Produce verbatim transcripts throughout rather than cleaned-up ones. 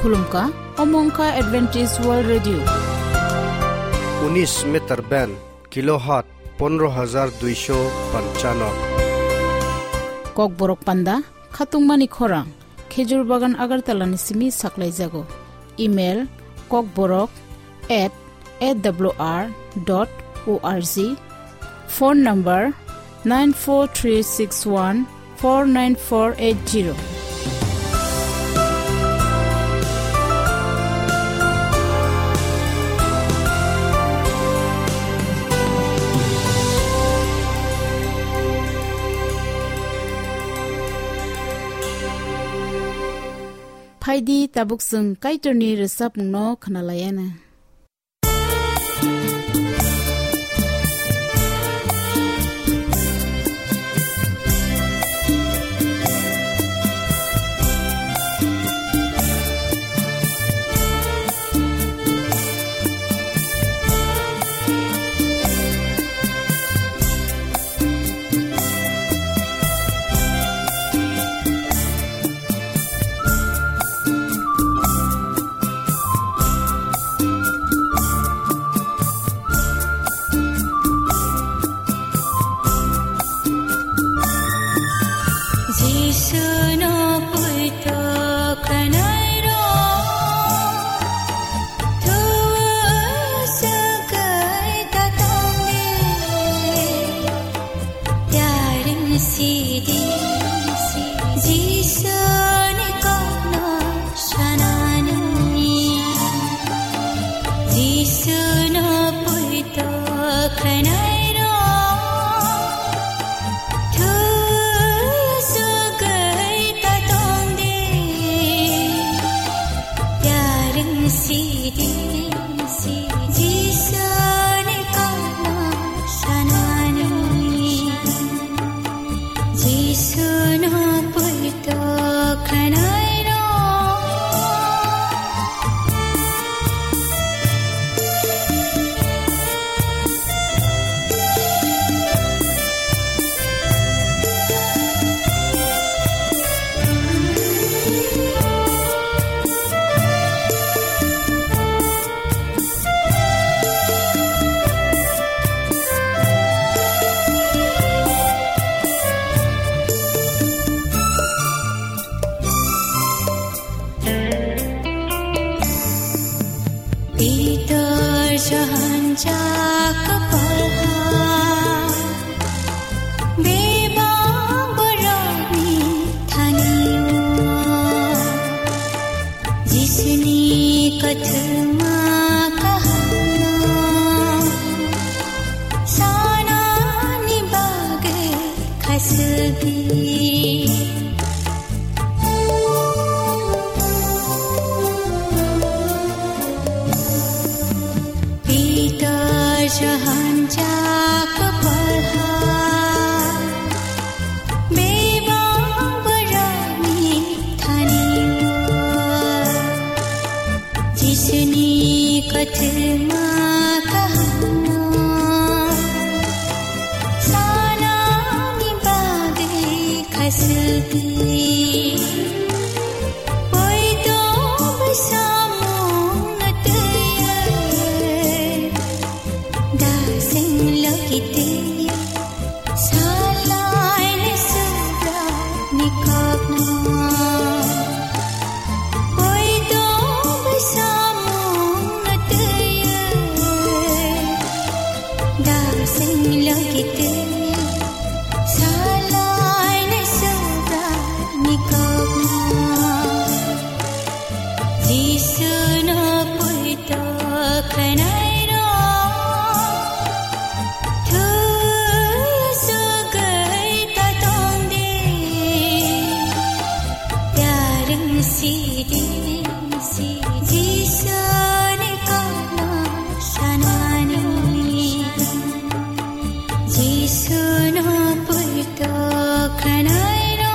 Khulumkha, omo wngkha Adventist World Radio. Unis meter band, kilohertz pondro hajar duisho panchano. Kokborok panda, khatungmani khorang, Khejur Bagan Agartala ni simi saklaijago. Email, kokborok at A W R dot O R G. Phone number, nine four three six one four nine four eight zero. Phaidi, tabuk chwng Kaitorni rwchapmungno khwnalaiana. Jisu no puito khanai ro, thua sakai ta tong de. Yaring sidi, Jisu ni kokno sanani. Jisu no puito khanai ro, thua sakai ta tong de. Yaring sidi, Jisu ni kokno sanani. Jisu no puito khanai ro. Pitor Johan Jakop Polha, bebak borokni thani-o Jisuni kothoma kahamno sanani bagwi khasukdi. Pitor Johan Jakop Polha, bebak borokni thani-o Jisuni kothoma kahamno sanani bagwi khasukdi. Poito bai samung na twiwi dasing logi twiwi salai ni subra ni kokno. Poito bai samung na twiwi dasing logi twiwi salai ni subra ni kokno. Jisu no puito khanai ro, thua sakai ta tong de. Yaring sidi, Jisu ni kokno sanani. Jisu no puito khanai ro.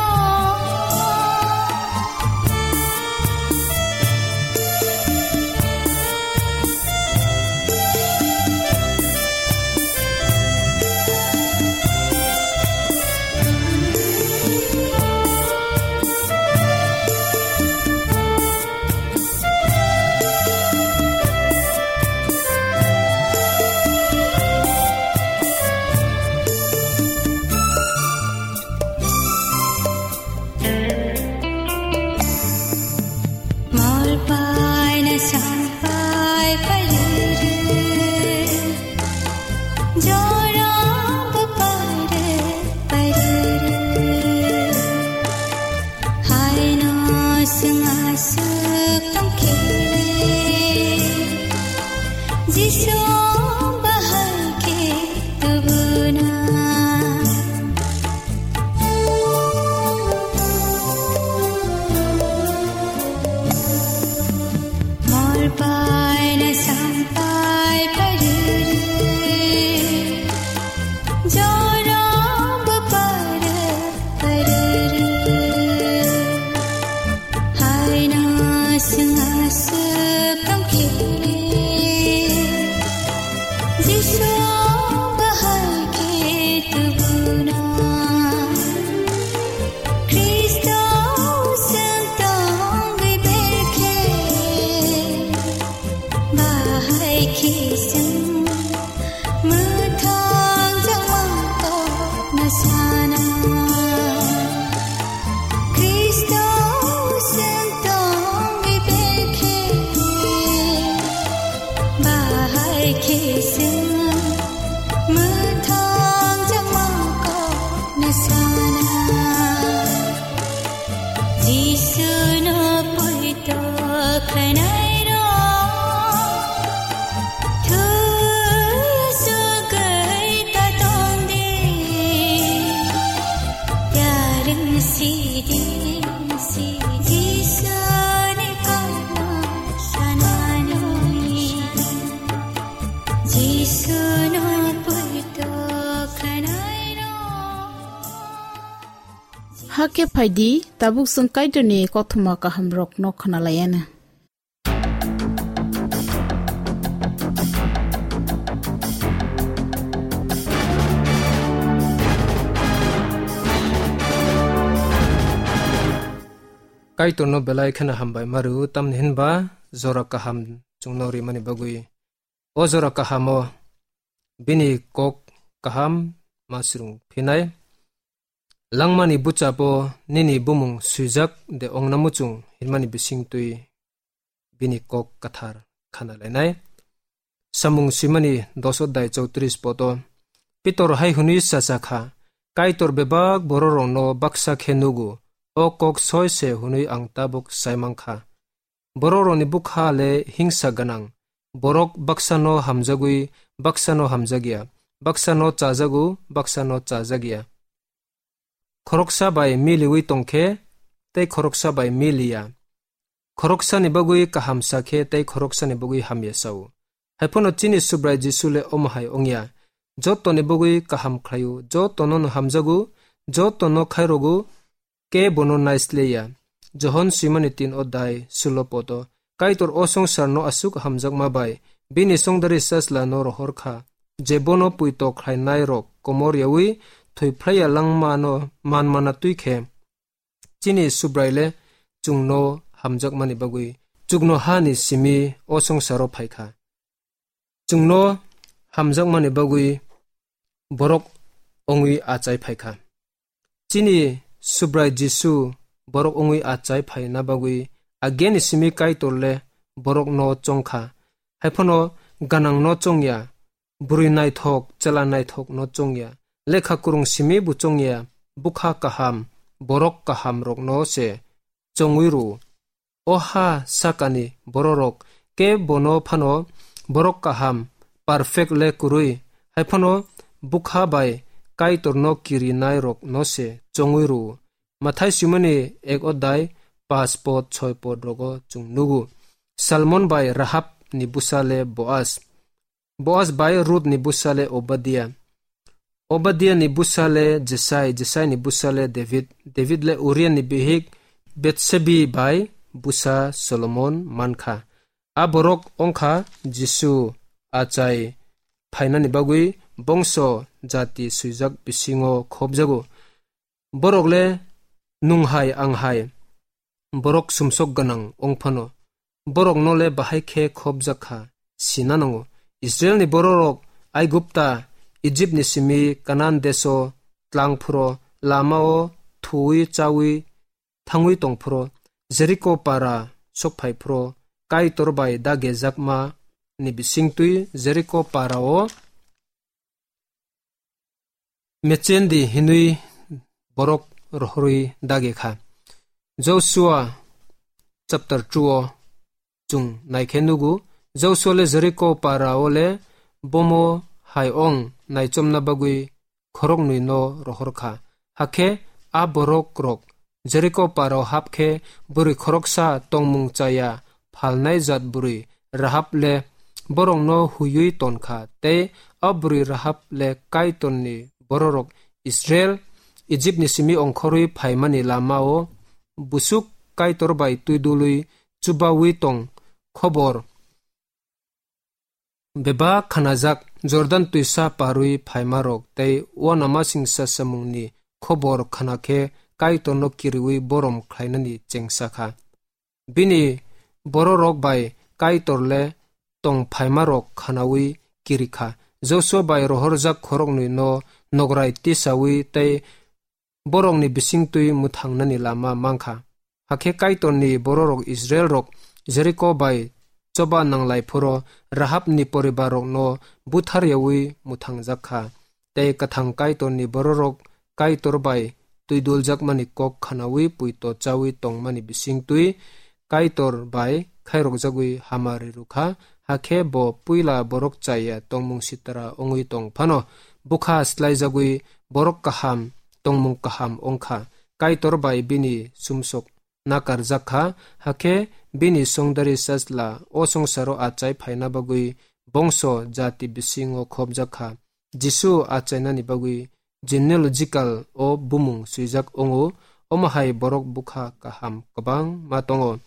Paina sampai paruru, jorong bapare paruru. Haino swnga suk tongkhe, Jisu bahai khe tubuna. Mor paina sampai paruru, jorong bapare paruru. Haino swnga suk tongkhe, Jisu bahai khe tubuna. Khristo seng tongwi berkhe, bahai khe seng mwthang jama kokno sana. Khristo seng tongwi berkhe, bahai khe seng mwthang jama kokno sana. Jisu no poito khlainai rok, thwi asugwi ta tong di. Yarwng si di, si Jisu ni kokno sanani. Jisu no poito khlainai rok. Hakhe phai di, tabuk chwng Kaitorni kothoma kahamrokno khwnalaianw. Kaitorno belai kheno hambai ma rw-o, tamni hinba jora kaham chwngno rimani bagwi. O jora kahamo bini kok kaham ma swrwng phinai. Langmani buchabo nini bumung swijak de ongna muchung hinmani bisingtwi bini kok kwthar khana lainai. Samung swimani dos odai chowtris poto Pitor hai hwnwi sacha kha, Kaitor bebak bororokno baksa khe nugo, o kok soi se hwnwi ang tabuk sai mang kha. Bororokni bwkha le hingsa gwnang, borok baksano hamjagwi baksano hamjakya, baksano chajago baksano chajakya. Khoroksa bai miliwi tongkhe tei khoroksa bai miliya. Khoroksani bagwi kaham sa khe tei khoroksani bagwi hamya sa-o. Hai phano chini Subrai Jisu le omo hai wngya, jotoni bagwi kaham khlai-o, jotono'-no hamjago, jotono khairokgo, kebo'-no naisleya. Johon swimani tin odai sulo poto. Kaitor o songsarno aswk hamjakma bai bini chongdari Sajlano rohor kha, je bono poito khlainairok komor yaui thwi phlaiya langmano manmana twi khe. Chini Subrai le chwngno hamjakmani bagwi chuknohani simi o songsaro phai kha. Chwngno hamjakmani bagwi borok wngwi achai phai kha. Chini Subrai Jisu borok wngwi achai phaina bagwi ageni simi Kaitor le borokno chong kha. Hai phano gwnangno chongya, bwrwi naithok, chwla naithokno chongya, lekha kwrwng simi bo chongya, bwkha kaham, borok kahamrokno se chongwi rw-o. O ha sakani bororok kebono phano borok kaham, perfect le kwrwi, hai phano bwkha bai Kaitorno kirinairokno se chongwi rw-o. Mathai swimani ek odai, pas pod, soi pod rogo chwng nugo. Salmon bai Rahab ni bwsa le Boaz. Boaz bai Ruth ni bwsa le Obadia. Obadia ni bwsa le Jesai, Jesai ni bwsa le David, David le Uria ni bihik Betsebi bai bwsa Solomon man kha. A borok wng kha Jisu achai phainani bagwi bongso jati swijak bisingo khopjago. Borok le nwng hai ang hai borok sumsok gwnang wng phano, borokno le bahai khe khopjak kha sina nango. Israilni bororok Aigupta, Ijipni simi Kanan deso tlang phuro, lamao thuwi chawi thangwi tong phuro, Jeriko para sokphai phro Kaitor bai dagejakma ni bisingtwi Jeriko parao mechendi hinwi borok rohorwi dage kha. Joshua chapter two o chwng naikhe nugo, Joshua le Jeriko parao le bomo hai ong naichomna bagwi khoroknwi no rohor kha. Hakhe a borok rok Jeriko parao hap khe bwrwi khoroksa tongmung chaya phalnai jat bwrwi Rahab le borokno huiwi ton kha, tei a bwrwi Rahab le Kaitorni bororok Israel Ijipni simi ongkhorwi phaimani lamao busuk Kaitor bai twidulwi chubawi tong khobor bebak khanajak Jordan twisa parwi phaimarok tei uanamasingcha samungni khobor khana khe Kaitorno kiriwi borom khlainani chengsa kha. Bini bororok bai Kaitor le tong phaimarok khanaui kiri kha. Joshua bai rohorjak khoroknwi no nograi tisaui tei borokni bisingtwi mwthangnani lama mankha. Hakhe Kaitorni bororok Israelrok Jeriko bai choba nanglai phoro Rahabni poribarrokno butharyaui mwthangjak kha. Tei kwthang Kaitorni bororok Kaitor bai twiduljakmani kok khanaui puito chaui tongmani bisingtwi Kaitor bai khairokjagwi hamari rwkha, hakhe bo puila borok chaya tongmung sitra wngwi tong phano bwkha swlaijagwi borok kaham tongmung kaham wngkha. Kaitor bai bini sumsok nakarjak kha, hakhe bini songdari sajla o songsaro achai phaina bagwi bongso jati bisingo khopjak kha. Jisu achainani bagwi genealogical o bumung swijak wngo, omo hai borok bwkha kaham kwbangma tongo.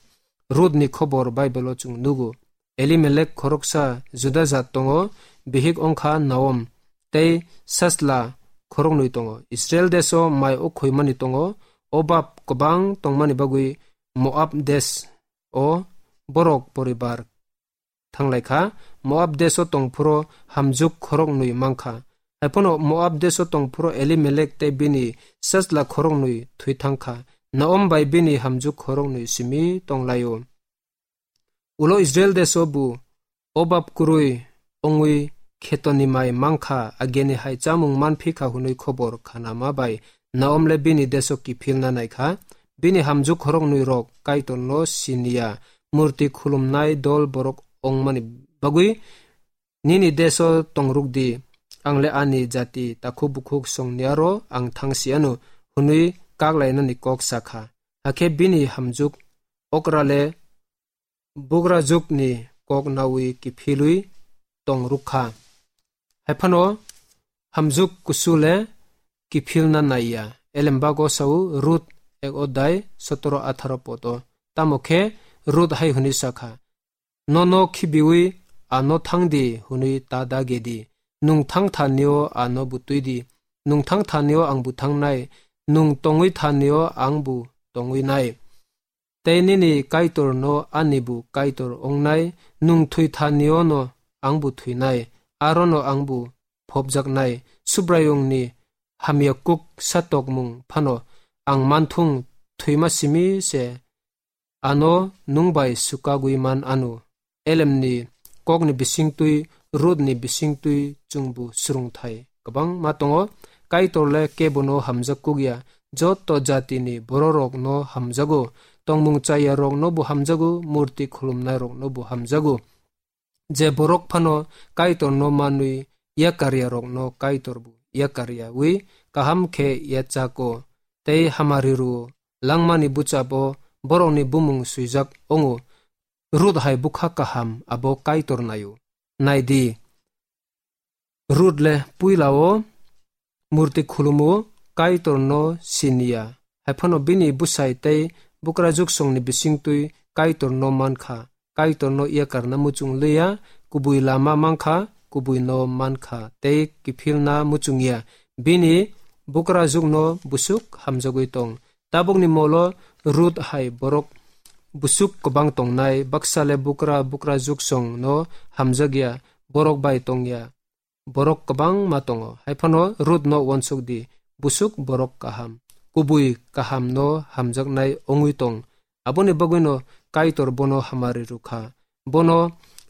Rutni khobor Baibelo chwng nugo. Elimelek khoroksa Juda jat tongo, bihik wngkha Naom, tei sajla khoroknwi tongo. Israel deso mai o khoimani tongo, obab kwbang tongmani bagwi Moab des o borok poribar thanglai kha. Moab deso tongphuro hamjuk khoroknwi mankha. Haiphano Moab deso tongphuro Elimelek tei bini sajla khoroknwi thwi thangkha. Naom bai bini hamjuk khoroknwi simi tonglaio. Ulo Israel deso bo obab kwrwi wngwi khetoni mai mankha, ageni hai chamung manphi kha hwnwi khobor khanama bai Naom le bini deso kiphilna naikha. Bini hamjuk khoroknwi rok Kaitorno siniya, murti khulumnai dol borok wngmani bagwi, "Nini deso tongrukdi, ang le ani jati takhuk bukhuk songni aro ang thangsi ano," hwnwi kaklainani kok sakha. Hakhe bini hamjuk okra le bugrajwkni kok naui kiphilwi tong rwkha. Haiphano hamjuk kusu le kiphilna naiya. Elembago sao Rut ek odai sotoro atharo poto. Tamo khe Rut hai hwnwi sakha, "Nono khibiwi ano thangdi hwnwi ta dagedi. Nwng thang thanio ano butwidi. Nwng thang thanio ang buthangnai. Nwng tongwi thanio ang bu tongwi nai. Tei nini Kaitorno ani bu Kaitor wngnai, nwng thwi thanio no ang bu thwinai, arono ang bu phobjaknai. Subraiyungni hamya kuk satokmung phano ang manthung, thwima simi se ano nwng bai swkagwi man ano." Elemni kokni bisingtwi, Rutni bisingtwi chwngbo swrwngthai kwbangma tongo. Kaitor le kebono hamjak kukya, joto jatini bororokno hamjago, tongmung chayarokno bo hamjago, murti khulumnairokno bo hamjago. Je borok phano Kaitorno manwi yakarya rokno Kaitor bo yakarya wi kaham khe yachako tei hamari rwo. Langmani buchabo borokni bumung swijak wngo. Rut hai bwkha kaham abo Kaitor naio. Naidi, Rut le puilao murti khulumo, Kaitorno siniya. Haiphano bini bwsai tei bukrajwksongni bisingtwi Kaitorno mankha. Kaitorno yakarna muchung liya, kubui lama mankha, kubuino mankha tei kiphilna muchungya. Bini bukrajwkno busuk hamjagwi tong. Tabukni molo Rut hai borok busuk kwbang tongnai, baksa le bukra bukrajwksongno hamjakya, borok bai tongya. Borok kwbangma tongo. Haiphano Rutno uansuk di, busuk borok kaham, kubui kahamno hamjaknai wngwi tong. Aboni bagwino Kaitor bono hamari rwkha. Bono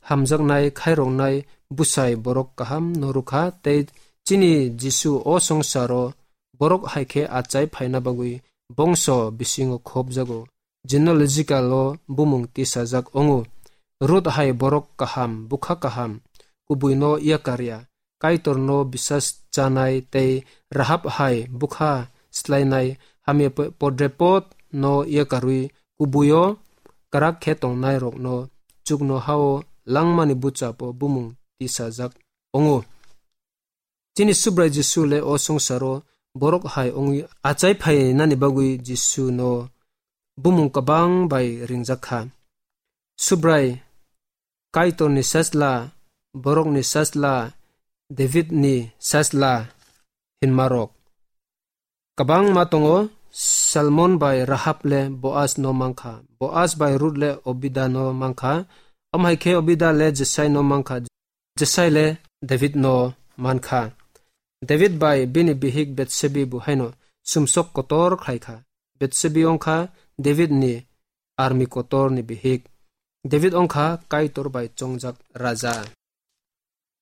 hamjaknai khairoknai bwsai borok kaham no rwkha, tei chini Jisu o swngcharo borok hai khe achai phaina bagwi bongso bisingo khopjago. Genealogical o bumung tisajak ongo. Ruth hai borok kaham, bwkha kaham, kubui no yakarya, Kaitor no bisas chanai tei Rahab hai bwkha slainai hamya po-, podrepot no yakarwi kubui o kwrak khe tongnai rok no chuknoha o langmani bwchap o bumung tisajak ongo. Chini Subrai Jisu le o swngcharo borok hai wngwi achai phainani bagwi Jisu no bumung kwbang bai ringjak kha. Subrai Kaitor ni sasla, borok ni sasla, David ni sasla hinma rok kwbangma tongo. Salmon bai Rahab le Boaz no mankha, Boaz bai Ruth le Obida no mankha, omo hai khe Obida le Jesai no mankha, Jesai le David no mankha. David bai bini bihik Betsebi bo haino sumsok kotor khlai kha. Betsebi wngkha David ni armi kotor ni bihik. David wngkha Kaitor bai chongjak raja.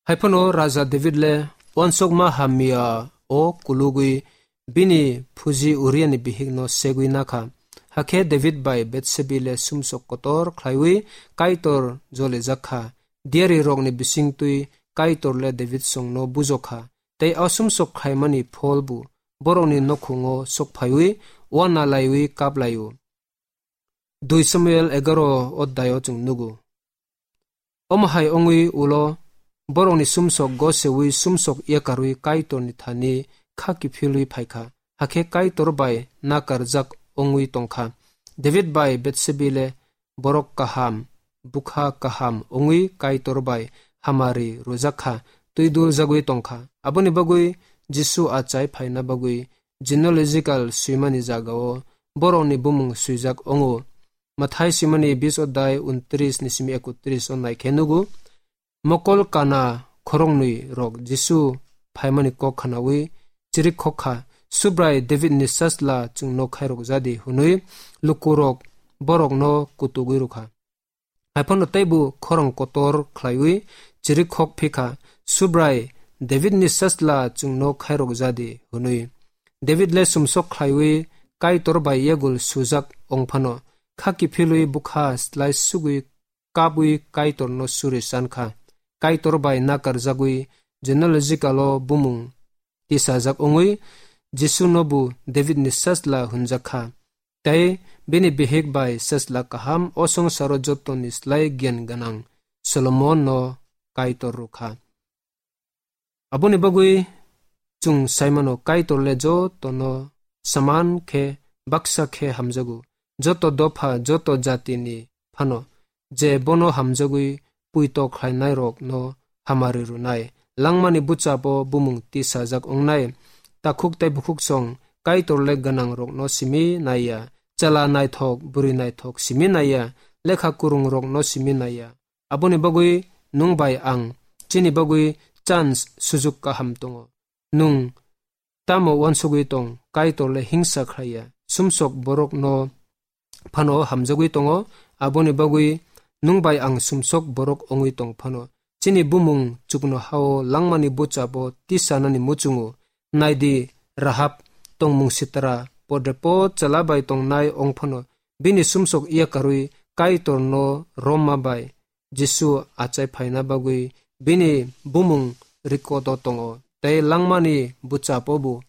Haiphano raja David le uansukma hamya o kulugwi bini phuji Uria ni bihik no segwi nakha. Hakhe David bai Betsebi le sumsok kotor khlaiwi Kaitor jolijak kha. Diari rokni bisingtwi Kaitor le David songno bujokha, tei o sumsok khlaimani pholbo borokni nokhungo sokphaiwi uana laiwi kaplaio. Dui Samuel egaro oddayo chwng nugo. Omo hai wngwi ulo borokni sumsok gosewi sumsok yakarwi Kaitorni thani kha kiphilwi phaikha, hakhe Kaitor bai nakarjak wngwi tongkha. David bai Betsebi le borok kaham, bwkha kaham wngwi Kaitor bai hamari rwjak kha, twi duljagwi tongkha. Aboni bagwi Jisu achai phaina bagwi genealogical swimani jagao borokni bumung swijak wngo. Mathai swimani bis odai untris ni simi ekutris o naikhe nugo. Mokol kana khoroknwi rok Jisu phaimani kok khnawi chirik khok kha, "Subrai David ni sasla chwngno khairok jadi," hwnwi lukurok borokno kutugwi rwkha. Haiphano teibo khorang kotor khlaiwi chirik khok phikha, "Subrai David ni sasla chwngno khairok jadi," hwnwi. David le sumsok khlaiwi Kaitor bai yagul sujak ongphano, kha kiphilwi bwkha slai sugwi kabwi Kaitorno suri sankha. Kaitor bai nakarjagwi genealogical o bumung tisajak wngwi Jisuno bo Davidni sasla hwnjak kha. Tei bini bihik bai sasla kaham o songsaro jotoni slai giyan gwnang Solomonno Kaitor rwkha. Aboni bagwi chwng saimano, Kaitor le jotono saman khe baksa khe hamjago, joto dopha, joto jatini phano, je bono hamjagwi puito khlainairokno hamari rwnai. Langmani bwchapo bumung tisajak wngnai. Takhuk tei bukhuksong Kaitor le gwnangrokno simi naiya, chwla naithok, bwrwi naithok simi naiya, lekha kwrwngrokno simi naiya. Aboni bagwi nwng bai ang chini bagwi chance, sujuk kaham tongo. Nwng tamo uansugwi tong, Kaitor le hingsa khlaiya, sumsok borokno phano hamjagwi tongo. Aboni bagwi nwng bai ang sumsok borok wngwi tong phano, chini bumung chuknohao langmani bwchapo tisanani muchungo. Naidi, Rahab, tongmung sitra, podrepot chwla bai tongnai wng phano, bini sumsok yakarwi Kaitorno romma bai Jisu achai phaina bagwi bini bumung record o tongo, tei langmani bwchapo bo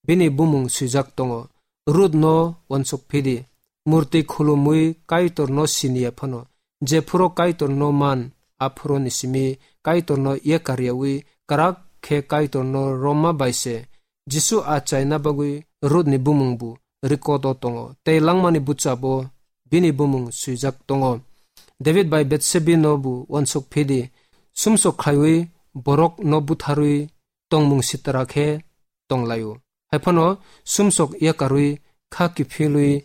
bini bumung swijak tongo. Ruth no uansuk phidi, murti khulumwi Kaitorno siniya phano, jephuru Kaitorno man, aphuru ni simi Kaitorno yakaryawi kwrak khe Kaitorno romma bai se Jisu achaina bagwi Ruth ni bumung bo record o tongo, tei langmani bwchapo bini bumung swijak tongo. David bai Betsebi no bo uansuk phidi, sumsok khlaiwi borok no butharwi tongmung sitra khe tonglaio. Haiphano sumsok yakarwi kha kiphilwi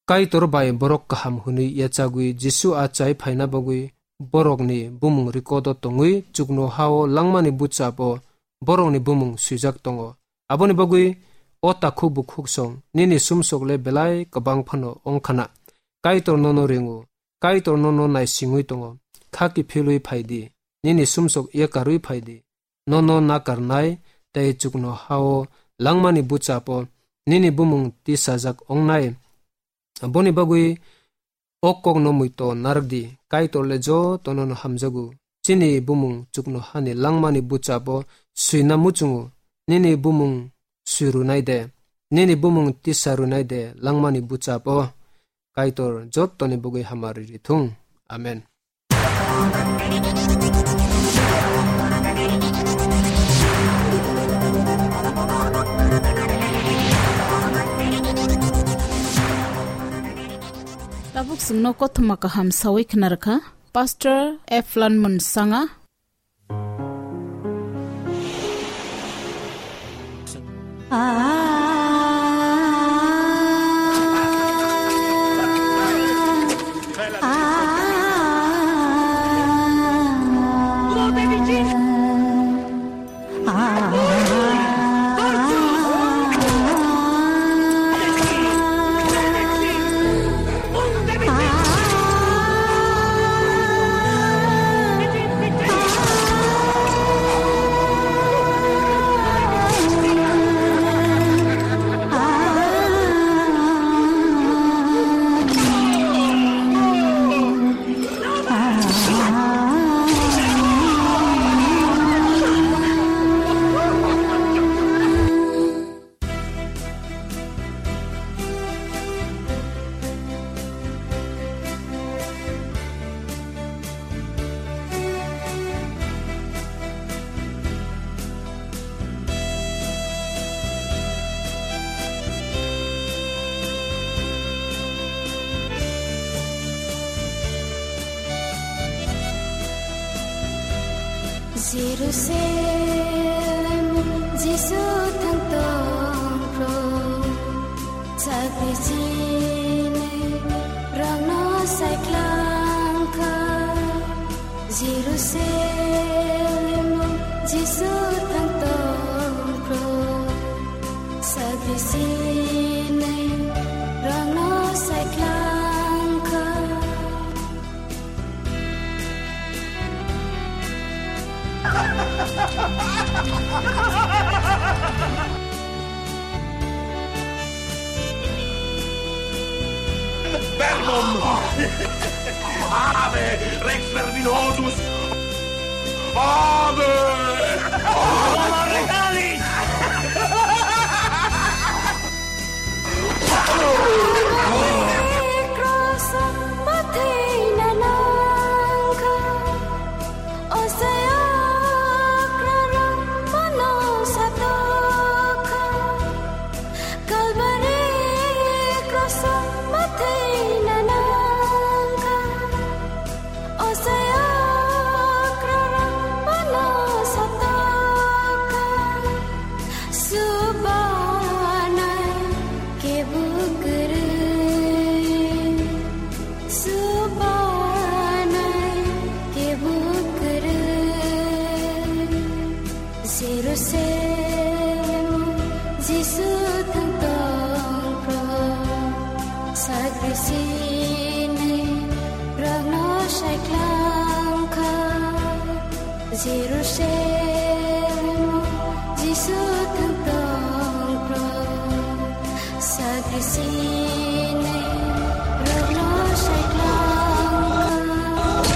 Kaitor bai borok kaham hwnwi yachagwi Jisu achai phaina bagwi borokni bumung record o tongwi chuknohao langmani bwchapo borokni bumung swijak tongo. Aboni bagwi o takhuk bukhuksong nini sumsok le belai kwbang phano wng khna. Kaitor nono ringo, Kaitor nono naisingwi tongo. Kha kiphilwi phai di, nini sumsok yakarwi phai di. Nono nakarnai tei chuknoha-o langmani buchapo nini bumung tisajak wngnai. Aboni bagwi o kokno muitu narwk di, Kaitor le jotono'-no hamjago. Chini bumung chuknohani langmani buchapo swina muchungo, nini bumung swi rwnai de, nini bumung tisa rwnai de langmani buchapo. Kaitor jottoni bagwi hamari rithung. Amen. Tabuk chwngno kothoma kaham sawi khna rwkha Pastor Eflan Munsanga. Jerusalem, Jisu thang tong phro, chakri chinwi rangno sai klang kha. Jerusalem, Jisu thang tong phro, chakri chinwi rangno sai klang kha. Verbum! Ave, Rex Verbinosus! Ave! Roma Regalis! Subanai kebo kwrwi, subanai kebo kwrwi. Jerusalem, Jisu thang tong phro, sakri chinwi rokno sai klang kha. Jerusalem, Jisu thang tong phro, sakri chinwi rokno sai klang kha.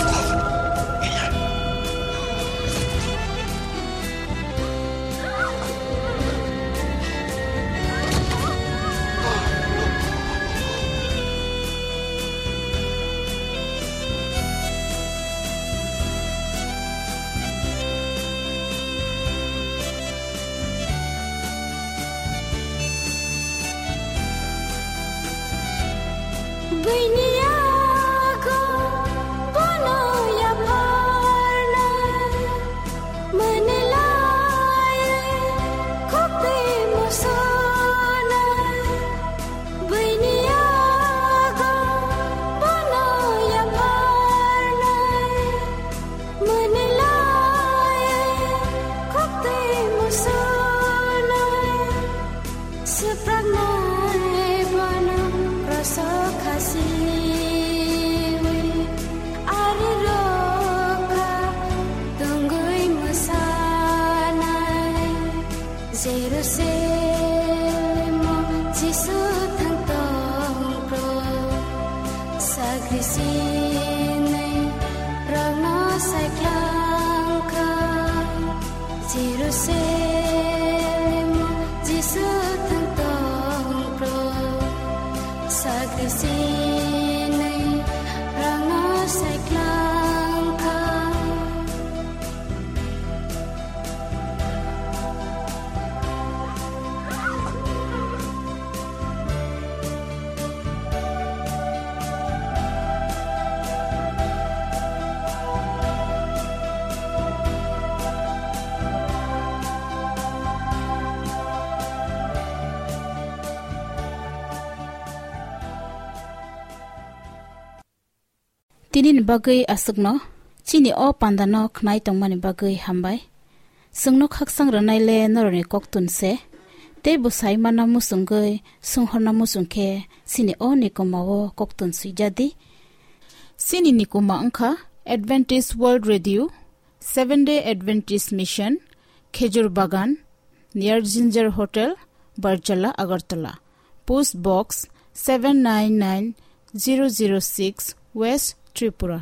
Bini yago bono yapharnai, mwnwi lai khukti musonai. Bini yago bono yapharnai, mwnwi lai khukti musonai. Swpraknai bono kroso khasi. Tinini bagwi aswkno, chini o pandano khnai tongmani bagwi hambai. Chwngno khaksang rwnaile norokni koktun se, tei bo sai manna muchungwi, swnghorna muchung khe chini o nikoma o koktun swijadi. Chini nikoma wngkha Adventist World Radio, Seventh Day Adventist Mission, Khejur Bagan, near Ginger Hotel, Barjala, Agartala. Post Box seven nine nine zero zero six, West Tripura.